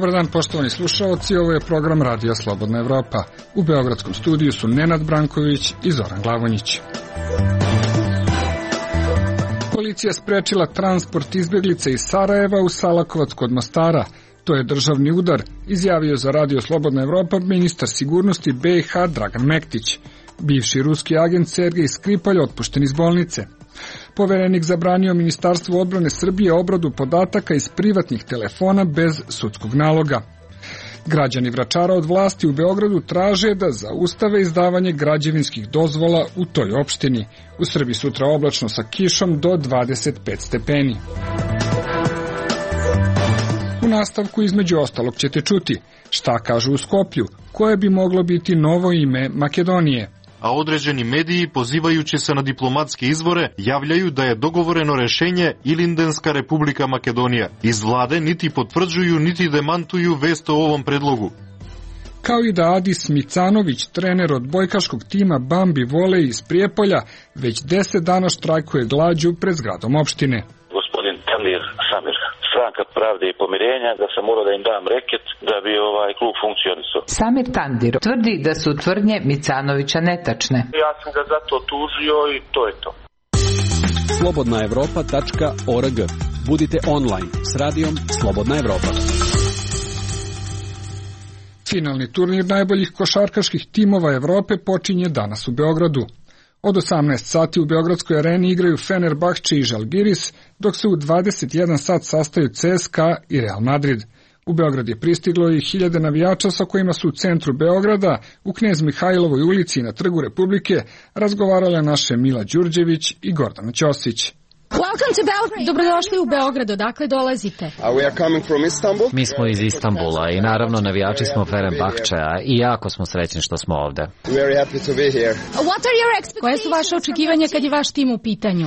Dobar dan, poštovani slušaoci, ovo je program Radija Slobodna Evropa. U beogradskom studiju su Nenad Branković i Zoran Glavonjić. Policija sprečila transport izbjeglica iz Sarajeva u Salakovac kod Mostara. To je državni udar, izjavio za Radio Slobodna Evropa ministar sigurnosti BiH Dragan Mektić. Bivši ruski agent Sergej Skripalj otpušten iz bolnice. Poverenik zabranio Ministarstvu odbrane Srbije obradu podataka iz privatnih telefona bez sudskog naloga. Građani Vračara od vlasti u Beogradu traže da zaustave izdavanje građevinskih dozvola u toj opštini. U Srbiji sutra oblačno sa kišom do 25 stepeni. U nastavku između ostalog ćete čuti šta kažu u Skoplju, koje bi moglo biti novo ime Makedonije. A određeni mediji, pozivajući se na diplomatske izvore, javljaju da je dogovoreno rešenje Ilindenska Republika Makedonija. Iz vlade niti potvrđuju, niti demantuju vest o ovom predlogu. Kao i da Adis Micanović, trener od bojkaškog tima Bambi Volej iz Prijepolja, već 10 dana štrajkuje glađu pred zgradom opštine. Gospodin Tandir Samir, Stranka pravde i pomirenja, da sam morao da im dam reket da bi klub funkcionisao. Samir Tandir tvrdi da su tvrdnje Micanovića netačne. Ja sam ga zato tužio i to je to. slobodnaevropa.org. Budite online s radijom Slobodna Evropa. Finalni turnir najboljih košarkaških timova Evrope počinje danas u Beogradu. Od 18 sati u Beogradskoj areni igraju Fenerbahče i Žalgiris, dok se u 21 sat sastaju CSKA i Real Madrid. U Beograd je pristiglo i 1000 navijača sa kojima su u centru Beograda, u Knez Mihajlovoj ulici i na Trgu Republike, razgovarale naše Mila Đurđević i Gordana Ćosić. Dobrodošli u Beograd, odakle dolazite? Mi smo iz Istanbula i naravno navijači smo Fenerbahčea i jako smo srećni što smo ovde. Koje su vaše očekivanja kad je vaš tim u pitanju?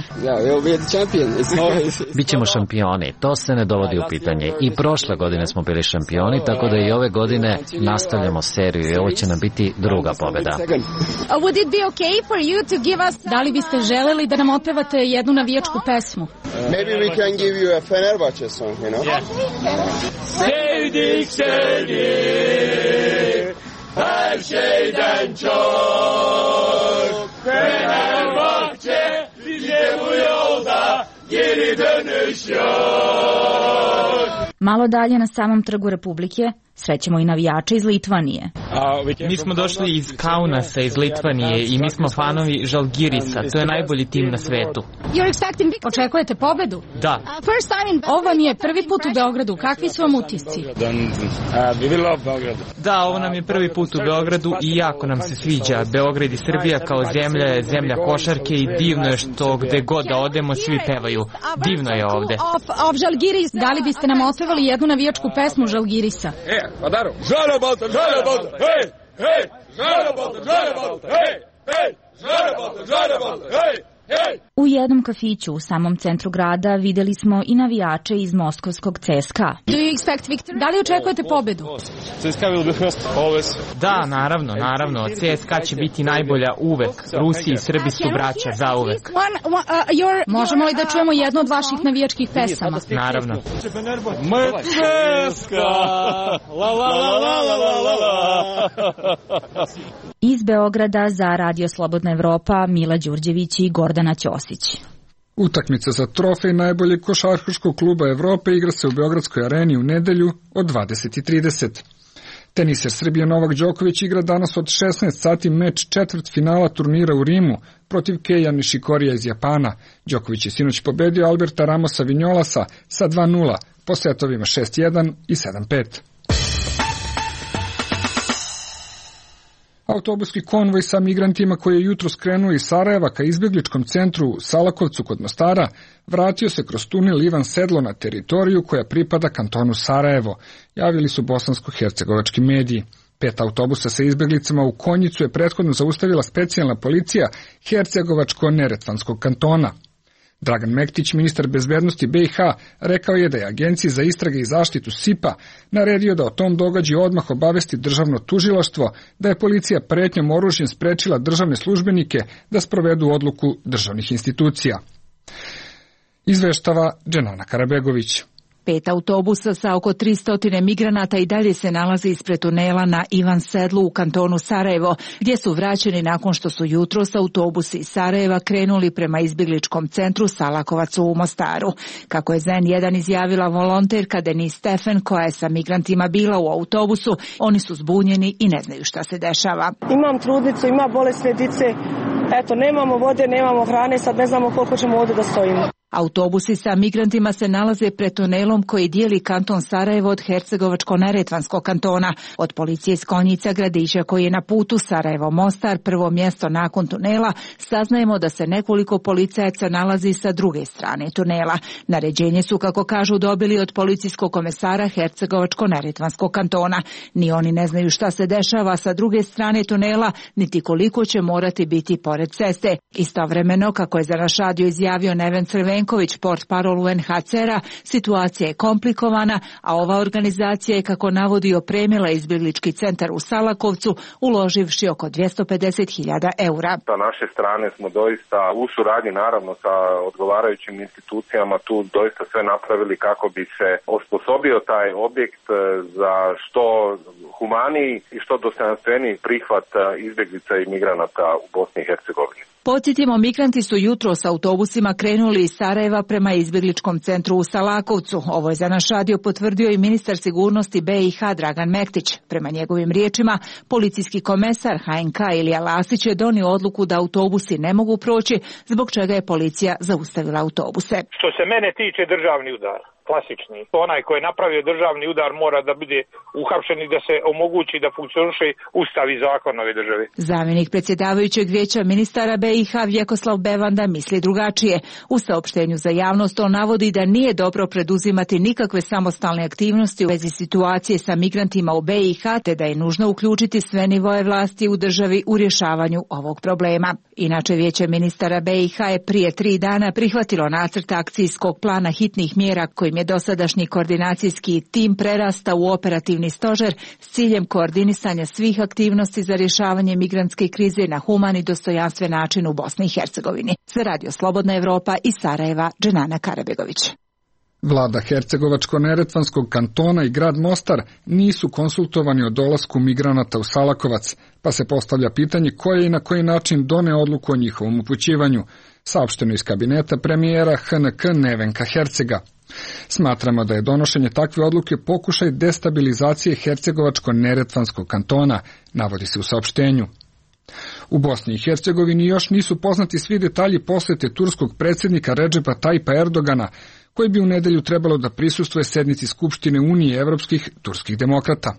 Bićemo šampioni, to se ne dovodi u pitanje. I prošle godine smo bili šampioni, tako da i ove godine nastavljamo seriju i ovo će nam biti druga pobeda. Da li biste želeli da nam otpevate jednu navijačku pesmu? Maybe we can give you a Fenerbahce song, you know? Sevdik seni her şeyden çok, Fenerbahçe bize bu yolda geri dönüş yok. Malo dalje na samom Trgu Republike srećemo i navijače iz Litvanije. Mi smo došli iz Kaunasa, iz Litvanije i mi smo fanovi Žalgirisa. To je najbolji tim na svetu. Očekujete pobedu? Da. Ovo vam je prvi put u Beogradu. Kakvi su vam utisci? Da, ovo nam je prvi put u Beogradu i jako nam se sviđa. Beograd i Srbija kao zemlja je zemlja košarke i divno je što gde god da odemo svi pevaju. Divno je ovde. Da li biste nam otpevali jednu navijačku pesmu Žalgirisa? Padaro. Žalebalta, hej, hej, žalebalta, hej, hej, žalebalta, hej, hej. U jednom kafiću u samom centru grada videli smo i navijače iz moskovskog CSKA. Da li očekujete pobedu? Da, naravno. CSKA će biti najbolja uvek. Rusi i Srbi su braća zauvek. Možemo li da čujemo jednu od vaših navijačkih pesama? Naravno. Iz Beograda za Radio Slobodna Evropa Mila Đurđević i Gordana Ćosić. Utakmica za trofej najboljeg košarkaškog kluba Evrope igra se u Beogradskoj areni u nedelju od 20:30. Teniser Srbije Novak Đoković igra danas od 16 sati meč četvrtfinala turnira u Rimu protiv Keija Nishikorija iz Japana. Đoković je sinoć pobedio Alberta Ramosa Vinjolasa sa 2:0 po setovima 6:1 i 7:5. Autobuski konvoj sa migrantima koji je jutro skrenuo iz Sarajeva ka izbjegličkom centru u Salakovcu kod Mostara vratio se kroz tunel Ivan Sedlo na teritoriju koja pripada kantonu Sarajevo, javili su bosansko-hercegovački mediji. 5 autobusa sa izbjeglicama u Konjicu je prethodno zaustavila specijalna policija Hercegovačko-Neretvanskog kantona. Dragan Mektić, ministar bezbednosti BiH, rekao je da je Agenciji za istrage i zaštitu SIPA naredio da o tom događaju odmah obavesti državno tužilaštvo, da je policija pretnjom oružjem sprečila državne službenike da sprovedu odluku državnih institucija. Izveštava Dženana Karabegović. 5 autobusa sa oko 300 migranata i dalje se nalazi ispred tunela na Ivan Sedlu u kantonu Sarajevo, gdje su vraćeni nakon što su jutros autobusi iz Sarajeva krenuli prema izbjegličkom centru Salakovac u Mostaru. Kako je N1 izjavila volonterka Denise Stefan, koja je sa migrantima bila u autobusu, oni su zbunjeni i ne znaju šta se dešava. Imam trudnicu, ima bolesne dice, eto, nemamo vode, nemamo hrane, sad ne znamo koliko ćemo ovdje da stojimo. Autobusi sa migrantima se nalaze pred tunelom koji dijeli kanton Sarajevo od Hercegovačko-neretvanskog kantona. Od policije iz Konjica, gradića koji je na putu Sarajevo-Mostar, prvo mjesto nakon tunela, saznajemo da se nekoliko policajaca nalazi sa druge strane tunela. Naređenje su, kako kažu, dobili od policijskog komesara Hercegovačko-neretvanskog kantona. Ni oni ne znaju šta se dešava sa druge strane tunela, niti koliko će morati biti pored ceste. Istovremeno, kako je za naš radio izjavio Neven Crvenković, portparol UNHCR-a, situacija je komplikovana, a ova organizacija je, kako navodi, opremila izbjeglički centar u Salakovcu, uloživši oko 250.000 eura. Sa naše strane smo doista u suradnji naravno sa odgovarajućim institucijama tu doista sve napravili kako bi se osposobio taj objekt za što humaniji i što dostojanstveniji prihvat izbjeglica i migranata u Bosni i Hercegovini. Podsjetimo, migranti su jutro s autobusima krenuli iz Sarajeva prema izbjegličkom centru u Salakovcu. Ovo je za naš radio potvrdio i ministar sigurnosti BiH Dragan Mektić. Prema njegovim riječima, policijski komesar HNK Ilija Lasić je donio odluku da autobusi ne mogu proći, zbog čega je policija zaustavila autobuse. Što se mene tiče, državni udar, klasični. Onaj koji je napravio državni udar mora da bude uhapšen i da se omogući da funkcioniše ustav i zakon ove države. Zamjenik predsjedavajućeg vijeća ministara BiH Vjekoslav Bevanda misli drugačije. U saopštenju za javnost on navodi da nije dobro preduzimati nikakve samostalne aktivnosti u vezi situacije sa migrantima u BiH, te da je nužno uključiti sve nivoe vlasti u državi u rješavanju ovog problema. Inače, vijeće ministara BiH je prije 3 dana prihvatilo nacrt akcijskog plana hitnih mjera kojim je dosadašnji koordinacijski tim prerastao u operativni stožer s ciljem koordinisanja svih aktivnosti za rješavanje migrantske krize na human i dostojanstven način u Bosni i Hercegovini. Za Radio Slobodna Evropa iz Sarajeva, Dženana Karabegović. Vlada Hercegovačko-neretvanskog kantona i grad Mostar nisu konsultovani o dolasku migranata u Salakovac, pa se postavlja pitanje koje i na koji način done odluku o njihovom upućivanju, saopšteno iz kabineta premijera HNK Nevenka Hercega. Smatramo da je donošenje takve odluke pokušaj destabilizacije Hercegovačko-neretvanskog kantona, navodi se u saopštenju. U Bosni i Hercegovini još nisu poznati svi detalji posjete turskog predsjednika Redžepa Tajpa Erdogana, koji bi u nedjelju trebalo da prisustvuje sednici Skupštine Unije evropskih turskih demokrata.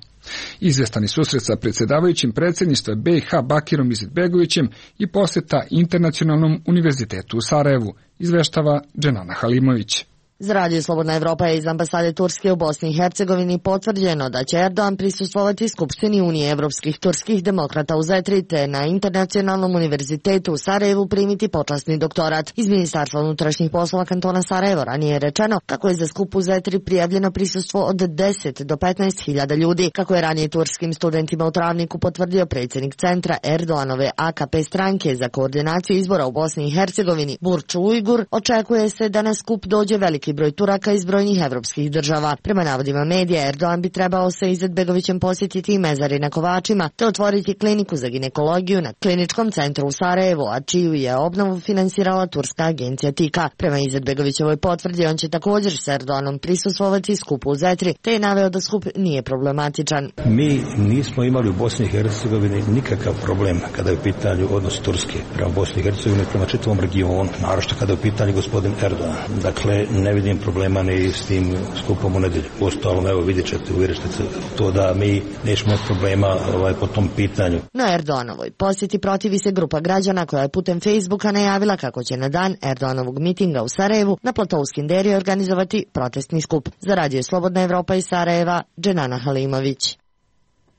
Izvestani susret sa predsjedavajućim predsjedništva BiH Bakirom Izetbegovićem i posjeta Internacionalnom univerzitetu u Sarajevu, izveštava Dženana Halimović. Za Radio Slobodna Evropa je iz ambasade Turske u Bosni i Hercegovini potvrđeno da će Erdogan prisustvovati Skupštini Unije evropskih turskih demokrata u Zetri, te na Internacionalnom univerzitetu u Sarajevu primiti počasni doktorat. Iz Ministarstva unutrašnjih poslova kantona Sarajevo ranije je rečeno kako je za skup u Zetri prijavljeno prisustvo od 10 do 15.000 ljudi. Kako je ranije turskim studentima u Travniku potvrdio predsjednik centra Erdoganove AKP stranke za koordinaciju izbora u Bosni i Hercegovini Burç Ujgur, očekuje se da na skup dođe veliki broj Turaka iz brojnih evropskih država. Prema navodima medija, Erdogan bi trebao sa Izetbegovićem posjetiti mezari na Kovačima te otvoriti kliniku za ginekologiju na kliničkom centru u Sarajevu, a čiju je obnovu finansirala turska agencija TIKA. Prema Izetbegovićevoj potvrdi, on će također s Erdoganom prisustvovati skupu u Zetri, te je naveo da skup nije problematičan. Mi nismo imali u Bosni i Hercegovini nikakav problem kada je u pitanju odnos Turske prema Bosni i Hercegovini, prema čitavom regionu, naročito kada je u pitanju gospodin Erdogan. Dakle, ne vidim problema ni s tim skupom u nedjelju. Uostalom, evo vidjet ćete, uvjerit ćete to da mi nećemo imati problema po tom pitanju. Na Erdoganovoj posjeti protivi se grupa građana koja je putem Facebooka najavila kako će na dan Erdoganovog mitinga u Sarajevu na platou Skinderije organizovati protestni skup. Za Radio Slobodna Evropa iz Sarajeva, Dženana Halimović.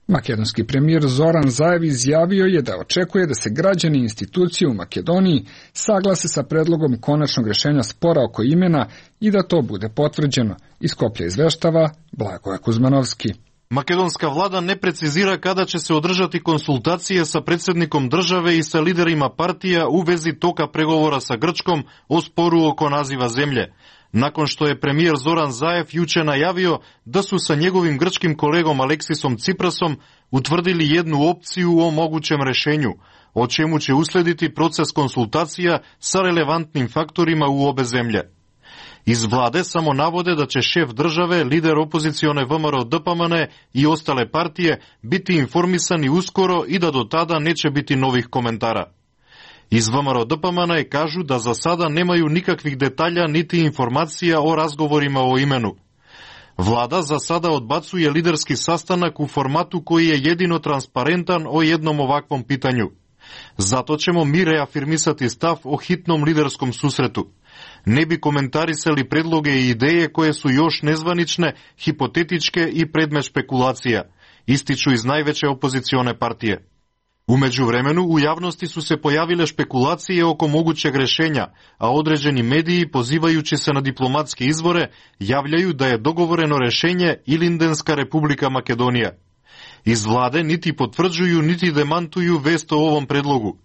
Makedonski premijer Zoran Zaev izjavio je da očekuje da se građani i institucije u Makedoniji saglase sa predlogom konačnog rješenja spora oko imena i da to bude potvrđeno. Iz Skoplja izveštava Blagoje Kuzmanovski. Makedonska vlada ne precizira kada će se održati konsultacije sa predsjednikom države i sa liderima partija u vezi toka pregovora sa Grčkom o sporu oko naziva zemlje. nakon što je premijer Zoran Zaev juče najavio da su sa njegovim grčkim kolegom Aleksisom Ciprasom utvrdili jednu opciju o mogućem rešenju, o čemu će uslediti proces konsultacija sa relevantnim faktorima u obe zemlje. Iz vlade samo navode da će šef države, lider opozicione VMRO DPMN i ostale partije biti informisani uskoro i da do tada neće biti novih komentara. Iz VMRO DPMN kažu da za sada nemaju nikakvih detalja niti informacija o razgovorima o imenu. Vlada za sada odbacuje liderski sastanak u formatu koji je jedino transparentan o jednom ovakvom pitanju. Zato ćemo mi reafirmisati stav o hitnom liderskom susretu. Ne bi komentarisali predloge i ideje koje su još nezvanične, hipotetičke i predmet špekulacija, ističu iz najveće opozicione partije. U međuvremenu u javnosti su se pojavile špekulacije oko mogućeg rešenja, a određeni mediji, pozivajući se na diplomatske izvore, javljaju da je dogovoreno rešenje Ilindenska Republika Makedonija. Iz vlade niti potvrđuju niti demantuju vest o ovom predlogu.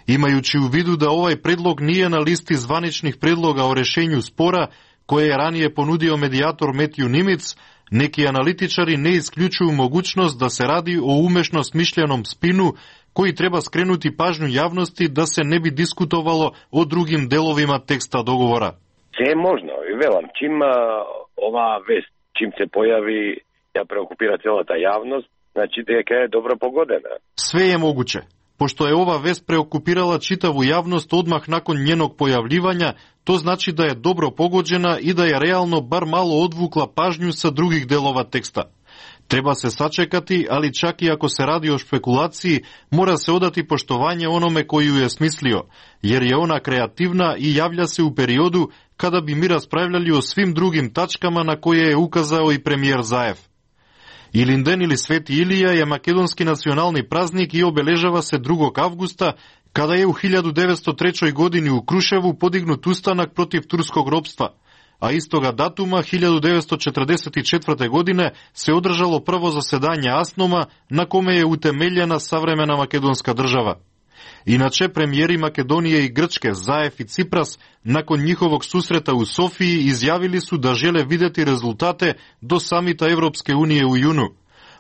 Imajući u vidu da ovaj predlog nije na listi zvaničnih predloga o rešenju spora koje je ranije ponudio medijator Matthew Nimitz, neki analitičari ne isključuju mogućnost da se radi o umešno smišljenom spinu koji treba skrenuti pažnju javnosti da se ne bi diskutovalo o drugim delovima teksta dogovora. Sve je možno. I velam, čim ova vest, čim se pojavi, ja preokupira cijela ta javnost, znači da je dobro pogodena. Sve je moguće. Pošto je ova vest preokupirala čitavu javnost odmah nakon njenog pojavljivanja, to znači da je dobro pogođena i da je realno bar malo odvukla pažnju sa drugih delova teksta. Treba se sačekati, ali čak i ako se radi o špekulaciji, mora se odati poštovanje onome koji ju je smislio, jer je ona kreativna i javlja se u periodu kada bi mi raspravljali o svim drugim tačkama na koje je ukazao i premijer Zaev. Ilinden ili Sveti Ilija je makedonski nacionalni praznik i obeležava se 2. avgusta, kada je u 1903. godini u Kruševu podignut ustanak protiv turskog ropstva, a istoga datuma 1944. godine se održalo prvo zasedanje Asnoma na kome je utemeljena savremena makedonska država. Inače, premijeri Makedonije i Grčke, Zaev i Cipras, nakon njihovog susreta u Sofiji izjavili su da žele vidjeti rezultate do samita Evropske unije u junu.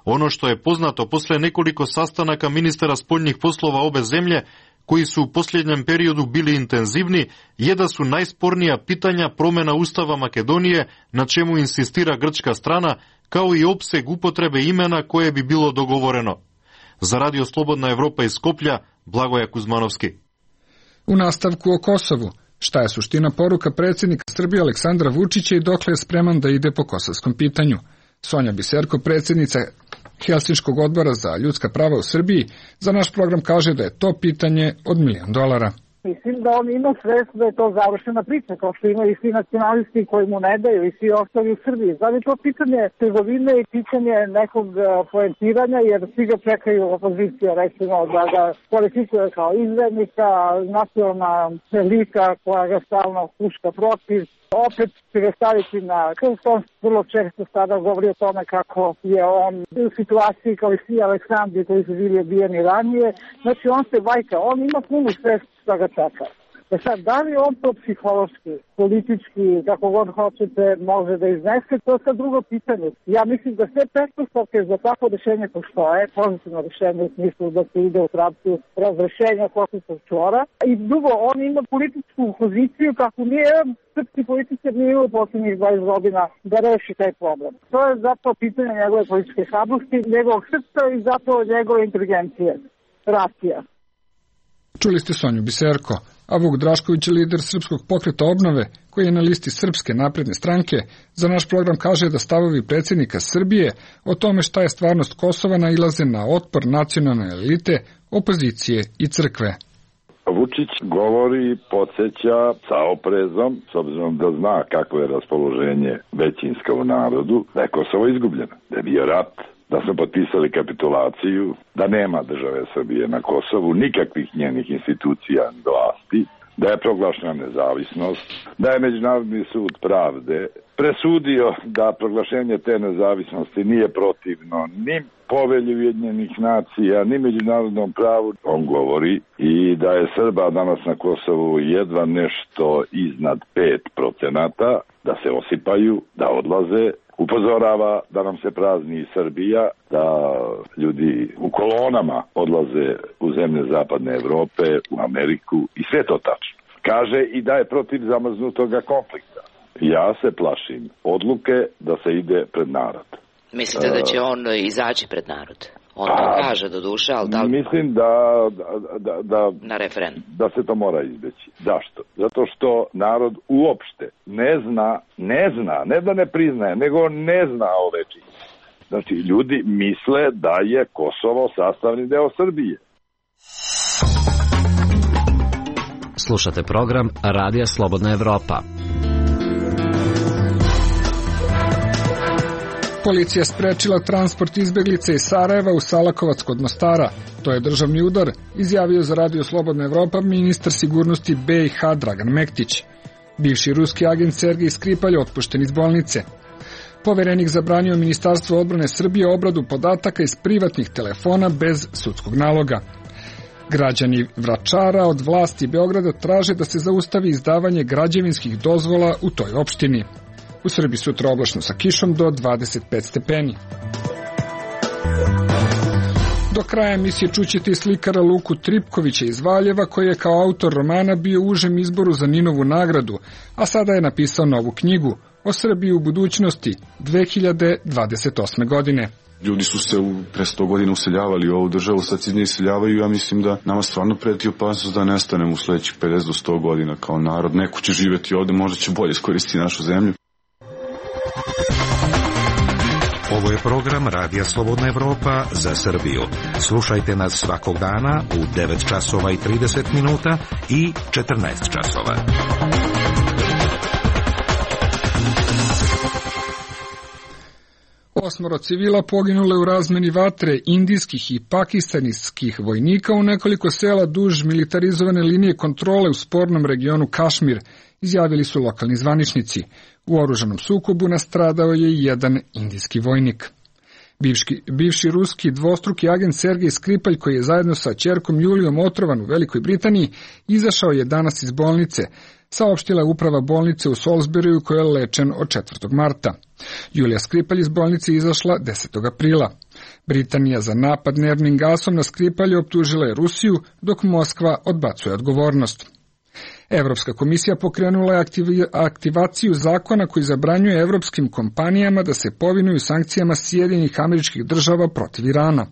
Ono što je poznato posle nekoliko sastanaka ministara spoljnih poslova obe zemlje, koji su u posljednjem periodu bili intenzivni, je da su najspornija pitanja promjena Ustava Makedonije, na čemu insistira grčka strana, kao i opseg upotrebe imena koje bi bilo dogovoreno. Za Radio Slobodna Evropa iz Skoplja, Blagoja Kuzmanovski. U nastavku o Kosovu, šta je suština poruka predsjednika Srbije Aleksandra Vučića i dokle je spreman da ide po kosovskom pitanju? Sonja Biserko, predsjednica Helsinškog odbora za ljudska prava u Srbiji, za naš program kaže da je to pitanje od $1 milion. Mislim da on ima svest da je to završena priča, kao što imaju i svi nacionalisti koji mu ne daju i svi ostali u Srbiji. Znači to pitanje trgovine i pitanje nekog poentiranja, jer svi ga čekaju opozicija, recimo, da ga kvalifikuje kao izvednika, nacionalna elita koja ga stalno huška protiv. Opet će ga staviti na krst, on vrlo često sada govori o tome kako je on u situaciji kao i svi Aleksandri koji su bili ubijeni ranije. Znači on se vajka, on ima punu svest što ga čeka. Sad, da li on to psihološki, politički, kako god hoćete, može da iznese, to je sad drugo pitanje. Ja mislim da sve pretpostavke za takvo rešenje postoje, pozitivno rešenje u smislu da se ide u pravcu razrešenja Kosovskog čvora. I drugo, on ima političku poziciju kako nije srpski političar nije imao posljednjih 20 godina da reši taj problem. To je zapravo pitanje njegove političke hrabrosti, njegovog srca i zapravo njegove inteligencije, racija. Čuli ste Sonju Biserko, a Vuk Drašković, lider Srpskog pokreta obnove, koji je na listi Srpske napredne stranke, za naš program kaže da stavovi predsjednika Srbije o tome šta je stvarnost Kosova nailaze na otpor nacionalne elite, opozicije i crkve. Vučić govori i podsjeća sa oprezom, s obzirom da zna kako je raspoloženje većinsko u narodu, da je Kosovo izgubljeno, da je bio rat, da su potpisali kapitulaciju, da nema države Srbije na Kosovu, nikakvih njenih institucija vlasti, da je proglašena nezavisnost, da je Međunarodni sud pravde presudio da proglašenje te nezavisnosti nije protivno ni povelji Ujedinjenih nacija, ni međunarodnom pravu. On govori i da je Srba danas na Kosovu jedva nešto iznad 5%, da se osipaju, da odlaze, upozorava da nam se prazni Srbija, da ljudi u kolonama odlaze u zemlje zapadne Evrope, u Ameriku i sve to tačno. Kaže i da je protiv zamrznutoga konflikta. Ja se plašim odluke da se ide pred narod. Mislite da će on izaći pred narod? On to kaže do duše, ali da li... Mislim na referendum. Da se to mora izbeći. Zašto? Zato što narod uopšte ne zna, ne da ne priznaje, nego ne zna ove činjenice. Znači, ljudi misle da je Kosovo sastavni deo Srbije. Slušate program Radija Slobodna Evropa. Policija sprečila transport izbeglica iz Sarajeva u Salakovac kod Mostara. To je državni udar, izjavio za Radio Slobodna Evropa ministar sigurnosti BiH Dragan Mektić. Bivši ruski agent Sergej Skripalj otpušten iz bolnice. Poverenik zabranio Ministarstvo odbrane Srbije obradu podataka iz privatnih telefona bez sudskog naloga. Građani Vračara od vlasti Beograda traže da se zaustavi izdavanje građevinskih dozvola u toj opštini. U Srbiji sutra oblačno sa kišom do 25 stepeni. Do kraja emisije čućete i slikara Luku Tripkovića iz Valjeva, koji je kao autor romana bio u užem izboru za Ninovu nagradu, a sada je napisao novu knjigu o Srbiji u budućnosti 2028. godine. Ljudi su se pre 100 godina useljavali u ovu državu, sad se iz nje iseljavaju. Ja mislim da nama stvarno preti opasnost da nestanemo u sledećih 50 do 100 godina kao narod. Neko će živjeti ovde, možda će bolje iskoristiti našu zemlju. Ovo je program Radija Slobodna Evropa za Srbiju. Slušajte nas svakog dana u 9 časova i 30 minuta i 14 časova. Osmoro civila poginule u razmeni vatre indijskih i pakistanskih vojnika u nekoliko sela duž militarizovane linije kontrole u spornom regionu Kašmir, izjavili su lokalni zvaničnici. U oružanom sukobu nastradao je jedan indijski vojnik. Bivši ruski dvostruki agent Sergej Skripalj, koji je zajedno sa ćerkom Julijom otrovan u Velikoj Britaniji, izašao je danas iz bolnice, saopštila je uprava bolnice u Salisburyu koja je lečen od 4. marta. Julija Skripalj iz bolnice izašla 10. aprila. Britanija za napad nervnim gasom na Skripalja optužila je Rusiju, dok Moskva odbacuje odgovornost. Evropska komisija pokrenula je aktivaciju zakona koji zabranjuje evropskim kompanijama da se povinuju sankcijama Sjedinjenih Američkih Država protiv Irana.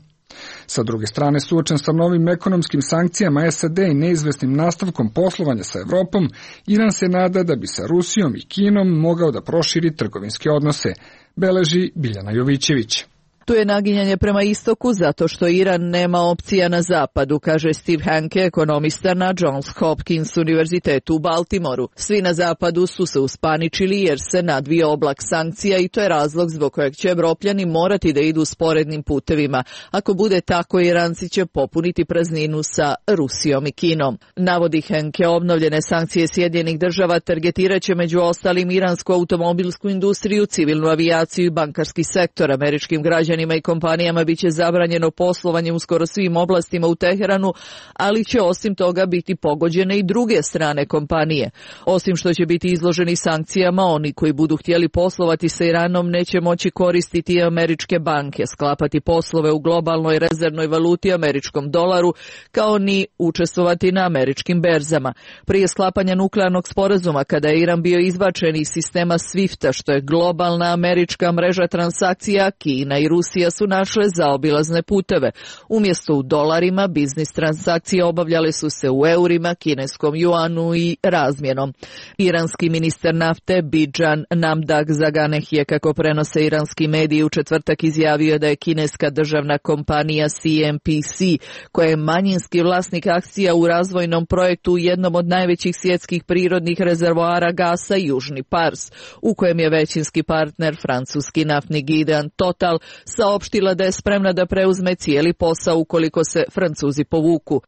Sa druge strane, suočen sa novim ekonomskim sankcijama SAD i neizvesnim nastavkom poslovanja sa Evropom, Iran se nada da bi sa Rusijom i Kinom mogao da proširi trgovinske odnose, beleži Biljana Jovićević. Tu je naginjanje prema istoku zato što Iran nema opcija na zapadu, kaže Steve Hanke, ekonomista na Johns Hopkins univerzitetu u Baltimoru. Svi na zapadu su se uspaničili jer se nadvio oblak sankcija i to je razlog zbog kojeg će Evropljani morati da idu sporednim putevima. Ako bude tako, Iranci će popuniti prazninu sa Rusijom i Kinom. Navodi Hanke, obnovljene sankcije Sjedinjenih Država targetiraće među ostalim iransku automobilsku industriju, civilnu avijaciju i bankarski sektor. Američkim građanima i kompanijama biće zabranjeno poslovanje u skoro svim oblastima u Teheranu, ali će osim toga biti pogođene i druge strane kompanije. Osim što će biti izloženi sankcijama, oni koji budu htjeli poslovati sa Iranom neće moći koristiti američke banke, sklapati poslove u globalnoj rezervnoj valuti američkom dolaru, kao ni učestvovati na američkim berzama. Prije sklapanja nuklearnog sporazuma, kada je Iran bio izbačen iz sistema SWIFT-a, što je globalna američka mreža transakcija, Kina i Rusija su našle zaobilazne puteve. Umjesto u dolarima, biznis transakcije obavljale su se u eurima, kineskom juanu i razmjenom. Iranski ministar nafte Bijan Namdak Zaganeh je, kako prenose iranski mediji, u četvrtak izjavio da je kineska državna kompanija CNPC, koja je manjinski vlasnik akcija u razvojnom projektu u jednom od najvećih svjetskih prirodnih rezervoara gasa Južni Pars, u kojem je većinski partner francuski naftni gigant Total, saopštila da je spremna da preuzme cijeli posao ukoliko se Francuzi povuku.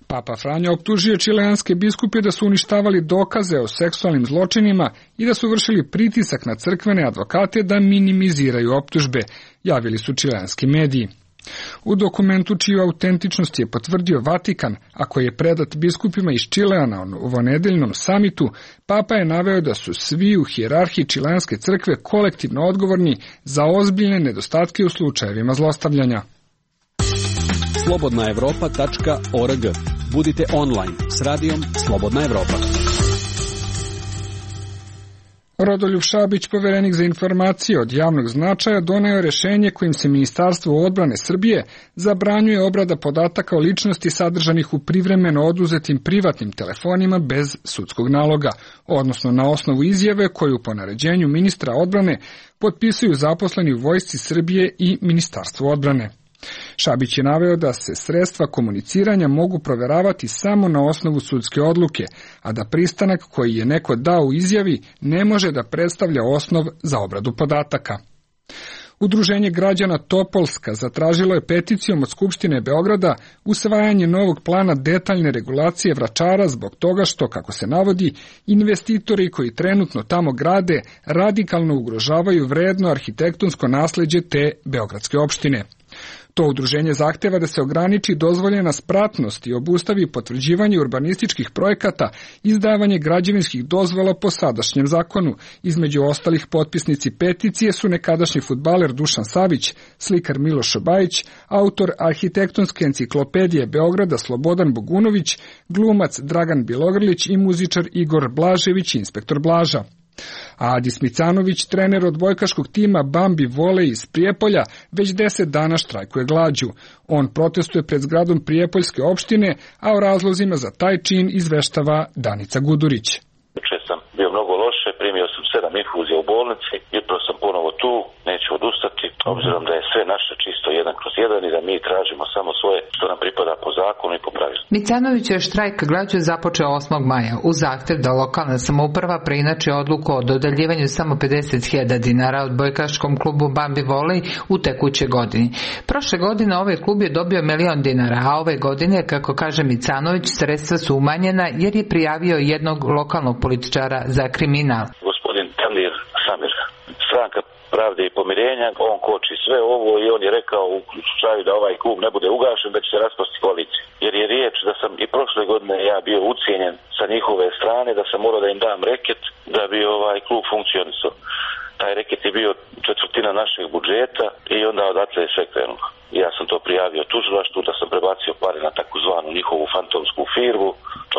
Papa Franjo optužio čileanske biskupe da su uništavali dokaze o seksualnim zločinima i da su vršili pritisak na crkvene advokate da minimiziraju optužbe, javili su čileanski mediji. U dokumentu čiju autentičnost je potvrdio Vatikan, a koji je predat biskupima iz Čilea na ovonedeljnom samitu, Papa je naveo da su svi u hijerarhiji čileanske crkve kolektivno odgovorni za ozbiljne nedostatke u slučajevima zlostavljanja. slobodnaevropa.org. Budite online s radijom Slobodna Evropa. Rodoljub Šabić, poverenik za informacije od javnog značaja, doneo je rešenje kojim se Ministarstvo odbrane Srbije zabranjuje obrada podataka o ličnosti sadržanih u privremeno oduzetim privatnim telefonima bez sudskog naloga, odnosno na osnovu izjave koju po naređenju ministra odbrane potpisuju zaposleni u Vojsci Srbije i Ministarstvu odbrane. Šabić je naveo da se sredstva komuniciranja mogu proveravati samo na osnovu sudske odluke, a da pristanak koji je neko dao u izjavi ne može da predstavlja osnov za obradu podataka. Udruženje građana Topolska zatražilo je peticijom od Skupštine Beograda usvajanje novog plana detaljne regulacije Vračara zbog toga što, kako se navodi, investitori koji trenutno tamo grade radikalno ugrožavaju vredno arhitektonsko nasleđe te beogradske opštine. To udruženje zahteva da se ograniči dozvoljena spratnost i obustavi potvrđivanje urbanističkih projekata, izdavanje građevinskih dozvola po sadašnjem zakonu. Između ostalih potpisnici peticije su nekadašnji fudbaler Dušan Savić, slikar Miloš Bajić, autor arhitektonske enciklopedije Beograda Slobodan Bogunović, glumac Dragan Bilogrlić i muzičar Igor Blažević, inspektor Blaža. A Adi Smicanović, trener odbojkaškog tima Bambi Volej iz Prijepolja, već 10 dana štrajkuje glađu. On protestuje pred zgradom Prijepoljske opštine, a o razlozima za taj čin izveštava Danica Gudurić. Juče sam bio mnogo loše, primio sam 7 infuzija u bolnici, jutro sam ponovo tu, neću odustati, obzirom da je sve naše čisto 1/1 i da mi tražimo samo svoje što nam pripada po zakonu i po pravilu. Micanović je štrajk glađu započeo 8. maja u zahtev da lokalna samouprava preinači odluku o dodeljivanju samo 50.000 dinara odbojkaškom klubu Bambi Volej u tekućoj godini. Prošle godine ovaj klub je dobio 1.000.000 dinara, a ove godine, kako kaže Micanović, sredstva su umanjena jer je prijavio jednog lokalnog političara za kriminal. Gospodin Tandir Samir, stranka Pravde i pomirenja, on koči sve ovo i on je rekao u slučaju da ovaj klub ne bude ugašen da će se raspasti koalicija. Jer je riječ da sam i prošle godine ja bio ucijenjen sa njihove strane, da sam morao da im dam reket da bi ovaj klub funkcionisao. Taj reket je bio 1/4 našeg budžeta i onda odatle je sve krenulo. Ja sam to prijavio tužilaštvu da sam prebacio pare na takozvanu njihovu fantomsku firmu,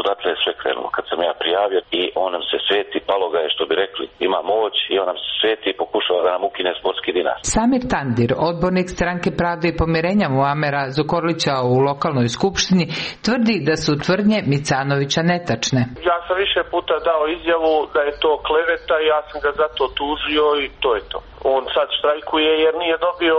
odatle je sve krenulo. Kad sam ja prijavio i on nam se sveti, palo ga je što bi rekli, ima moć i on nam se sveti i pokušava da nam ukine sportski dinar. Samir Tandir, odbornik stranke Pravde i pomirenja Muamera Zukorlića u lokalnoj skupštini, tvrdi da su tvrdnje Micanovića netačne. Ja sam više puta dao izjavu da je to kleveta i ja sam ga zato tužio i to je to. On sad štrajkuje jer nije dobio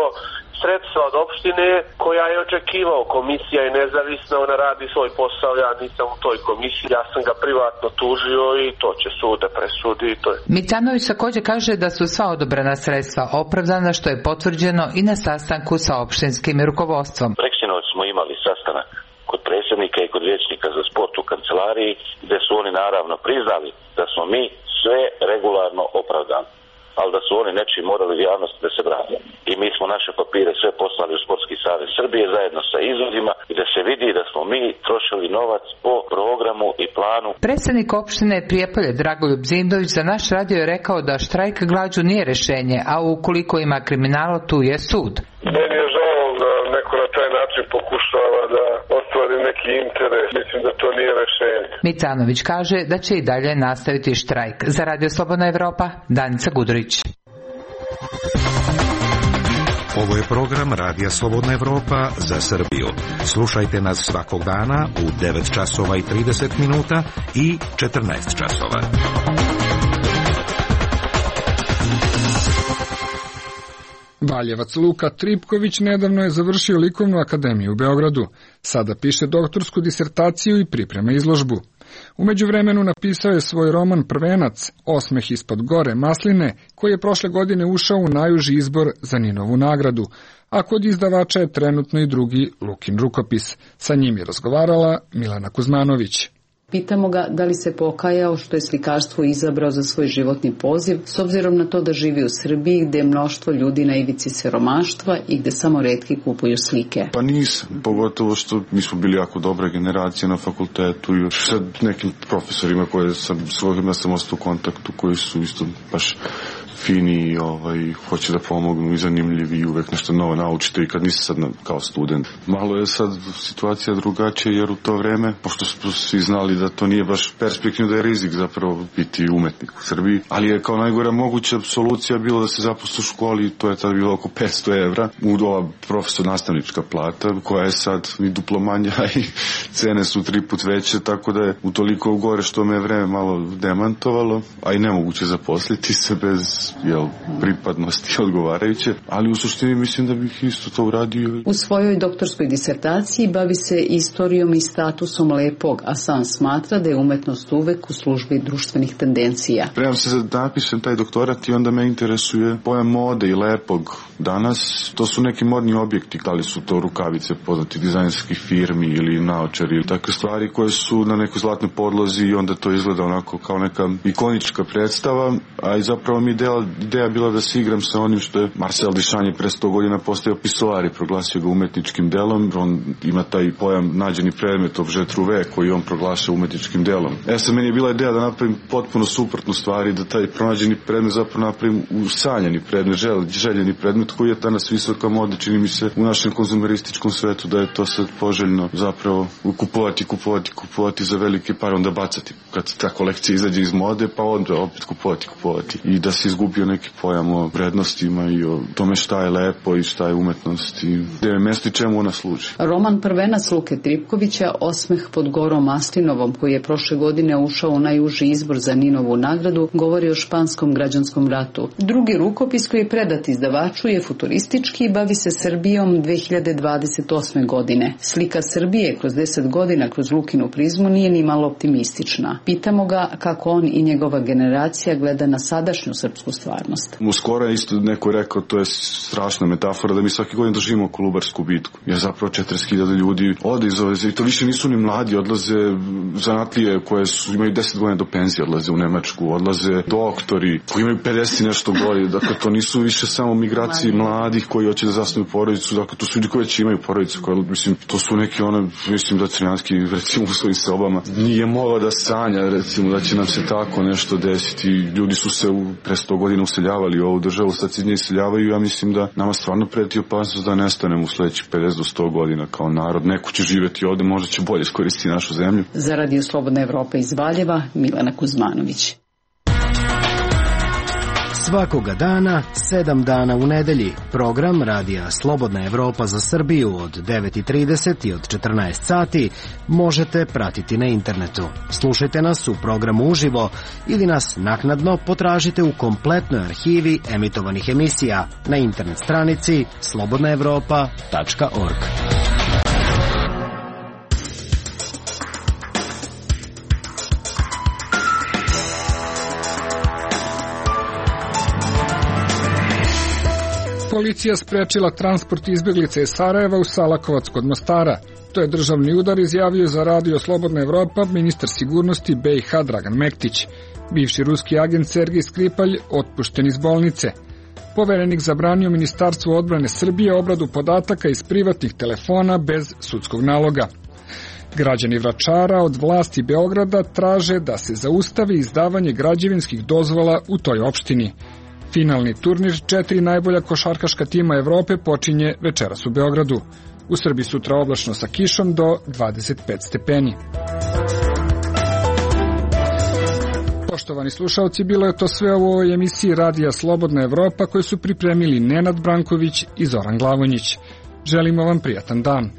sredstva od opštine koja je očekivao. Komisija je nezavisna, ona radi svoj posao, ja nisam u toj komisiji, ja sam ga privatno tužio i to će sud da presudi i to je. Micanović također kaže da su sva odobrena sredstva opravdana, što je potvrđeno i na sastanku sa opštinskim rukovodstvom. Preksinoć smo imali sastanak kod predsjednika i kod vijećnika za sport u kancelariji, gde su oni naravno priznali da smo mi sve regularno opravdani, ali da su oni nečiji morali u javnosti da se brane. I mi smo naše papire sve poslali u Sportski savez Srbije zajedno sa izvodima i da se vidi da smo mi trošili novac po programu i planu. Predsjednik opštine Prijepolje Dragoljub Zindović za naš radio je rekao da štrajk glađu nije rešenje, a ukoliko ima kriminala, tu je sud. Meni je žao da neko na taj način pokušava da ostvari neki interes. Mislim da to nije rešenje. Micanović kaže da će i dalje nastaviti štrajk. Za Radio Slobodna Evropa, Danica Gudurić. Ovo je program Radija Slobodna Evropa za Srbiju. Slušajte nas svakog dana u 9 časova i 30 minuta i 14 časova. Valjevac Luka Tripković nedavno je završio Likovnu akademiju u Beogradu. Sada piše doktorsku disertaciju i priprema izložbu. U međuvremenu napisao je svoj roman Prvenac, Osmeh ispod gore masline, koji je prošle godine ušao u najuži izbor za Ninovu nagradu, a kod izdavača je trenutno i drugi Lukin rukopis. Sa njim je razgovarala Milana Kuzmanović. Pitamo ga da li se pokajao što je slikarstvo izabrao za svoj životni poziv, s obzirom na to da živi u Srbiji gdje je mnoštvo ljudi na ivici siromaštva i gdje samo retki kupuju slike. Pa nisam, pogotovo što mi smo bili jako dobra generacija na fakultetu i sa nekim profesorima s kojima sam ostao u kontaktu, koji su isto baš fini i hoće da pomognu i zanimljivi i uvek nešto novo naučite i kad nisi sad kao student. Malo je sad situacija drugačija jer u to vreme, pošto smo svi znali da to nije baš perspektivno, da je rizik zapravo biti umetnik u Srbiji, ali je kao najgora moguća solucija bilo da se zaposli u školi, to je tada bilo oko 500 evra, u ova profesor nastavnička plata koja je sad i duplo manja i cene su 3 put veće, tako da je utoliko gore što me je vreme malo demantovalo, a i nemoguće zaposliti se bez pripadnosti odgovarajuće, ali u suštini mislim da bih isto to uradio. U svojoj doktorskoj disertaciji bavi se istorijom i statusom lepog, a sam smatra da je umetnost uvek u službi društvenih tendencija. Spremam se da napišem taj doktorat i onda me interesuje pojam mode i lepog danas. To su neki modni objekti, da li su to rukavice poznati dizajnerskih firmi ili naočari, takve stvari koje su na nekoj zlatnoj podlozi i onda to izgleda onako kao neka ikonička predstava, a i zapravo mi ideja bila da se igram sa onim što je Marcel Duchamp pre 100 godina postao pisoar i proglasio ga umetničkim delom. On ima taj pojam nađeni predmet, objet trouvé, koji on proglaša umetničkim delom. Sad meni je bila ideja da napravim potpuno suprotnu stvari, da taj pronađeni predmet zapravo napravim usanjani predmet, željeni predmet koji je danas visoka moda, čini mi se u našem konzumerističkom svetu da je to sad poželjno zapravo kupovati za velike pare, onda bacati kad ta kolekcija izađe iz mode, pa onda opet kupovati i da se izgubio neki pojam o vrednostima i o tome šta je lepo i šta je umetnost i gde je mesto i čemu ona služi. Roman prvenac Luke Tripkovića, Osmeh pod Gorom Maslinovom, koji je prošle godine ušao u najuži izbor za Ninovu nagradu, govori o španskom građanskom ratu. Drugi rukopis koji je predat izdavaču je futuristički i bavi se Srbijom 2028. godine. Slika Srbije kroz 10 godina kroz Lukinu prizmu nije ni malo optimistična. Pitamo ga kako on i njegova generacija gleda na sadašnju srpsku stvarnost. Uskoro je isto neko rekao, to je strašna metafora, da mi svaki godin držimo Kolubarsku bitku. Jer zapravo 40.000 ljudi ode iz ove zemlje. I to više nisu ni mladi, odlaze zanatlije koje imaju 10 godina do penzije, odlaze u Nemačku, odlaze doktori koji imaju 50 nešto godina. Dakle, to nisu više samo migracije mladih koji hoće da zasnuju porodicu. Dakle, to su ljudi koji već imaju porodicu. Mislim, to su neki mislim da Crnjanski, recimo, u svojim sobama nije mogao da sanja, recimo, da će nam se tako nešto desiti. Ljudi su se pre 100 godina useljavali u ovu državu, sad se nje iseljavaju. Ja mislim da nama stvarno preti opasnost da nestanemo u sledećih 50 do 100 godina kao narod. Neko će živjeti ovde, možda će bolje iskoristiti našu zemlju. Za Radio Slobodna Evropa iz Valjeva, Milena Kuzmanović. Svakoga dana, 7 dana u nedelji. Program Radija Slobodna Evropa za Srbiju od 9:30 i od 14 sati možete pratiti na internetu. Slušajte nas u programu uživo ili nas naknadno potražite u kompletnoj arhivi emitovanih emisija na internet stranici slobodnaevropa.org. Policija sprečila transport izbjeglica iz Sarajeva u Salakovac kod Mostara. To je državni udar, izjavio za Radio Slobodna Evropa ministar sigurnosti BiH Dragan Mektić. Bivši ruski agent Sergej Skripalj otpušten iz bolnice. Poverenik zabranio Ministarstvu odbrane Srbije obradu podataka iz privatnih telefona bez sudskog naloga. Građani Vračara od vlasti Beograda traže da se zaustavi izdavanje građevinskih dozvola u toj opštini. Finalni turnir 4 najbolja košarkaška tima Evrope počinje večeras u Beogradu. U Srbiji sutra oblačno sa kišom do 25 stepeni. Poštovani slušalci, bilo je to sve u ovoj emisiji Radija Slobodna Evropa koju su pripremili Nenad Branković i Zoran Glavonjić. Želimo vam prijatan dan.